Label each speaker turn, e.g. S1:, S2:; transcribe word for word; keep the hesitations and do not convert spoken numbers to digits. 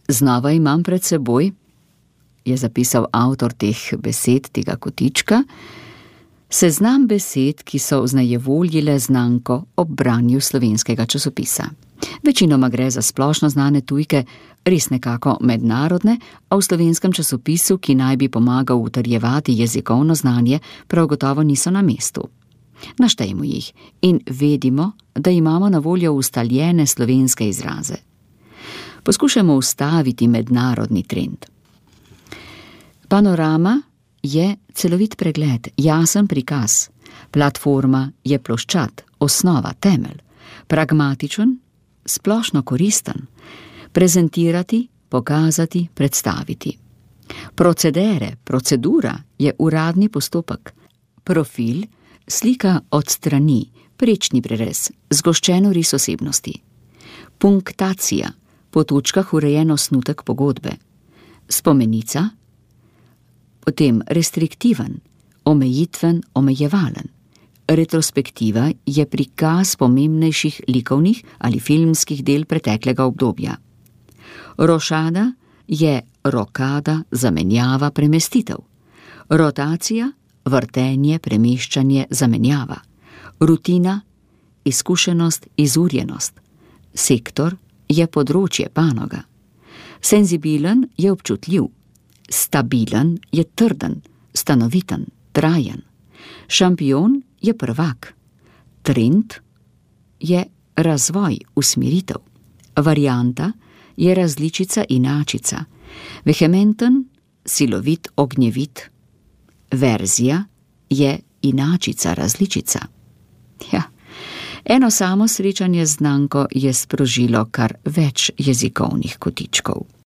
S1: Znova imam pred seboj, je zapisal avtor teh besed, tega kotička, seznam besed, ki so vznajevoljile znanko ob branju slovenskega časopisa. Večinoma gre za splošno znane tujke, res nekako mednarodne, a v slovenskem časopisu, ki naj bi pomagal utrjevati jezikovno znanje, prav gotovo niso na mestu. Naštejmo jih in vedimo, da imamo na voljo ustaljene slovenske izraze. Poskušamo ustaviti mednarodni trend. Panorama je celovit pregled, jasen prikaz. Platforma je ploščad, osnova, temelj. Pragmatičen, splošno koristen. Prezentirati, pokazati, predstaviti. Procedere, procedura je uradni postopek. Profil, slika od strani, prečni prerez, zgoščeno ris osebnosti. Punktacija, po točkah urejen osnutek pogodbe. Spomenica, potem restriktiven, omejitven, omejevalen. Retrospektiva je prikaz pomembnejših likovnih ali filmskih del preteklega obdobja. Rošada je rokada, zamenjava, premestitev. Rotacija, vrtenje, premeščanje, zamenjava. Rutina, izkušenost, izurjenost. Sektor je področje, panoga. Senzibilen je občutljiv. Stabilen je trden, stanoviten, trajen. Šampion je prvak. Trend je razvoj, usmeritev. Varianta je različica, inačica. Vehementen, silovit, ognjevit. Verzija je inačica, različica. Ja, eno samo srečanje z znanko je sprožilo kar več jezikovnih kotičkov.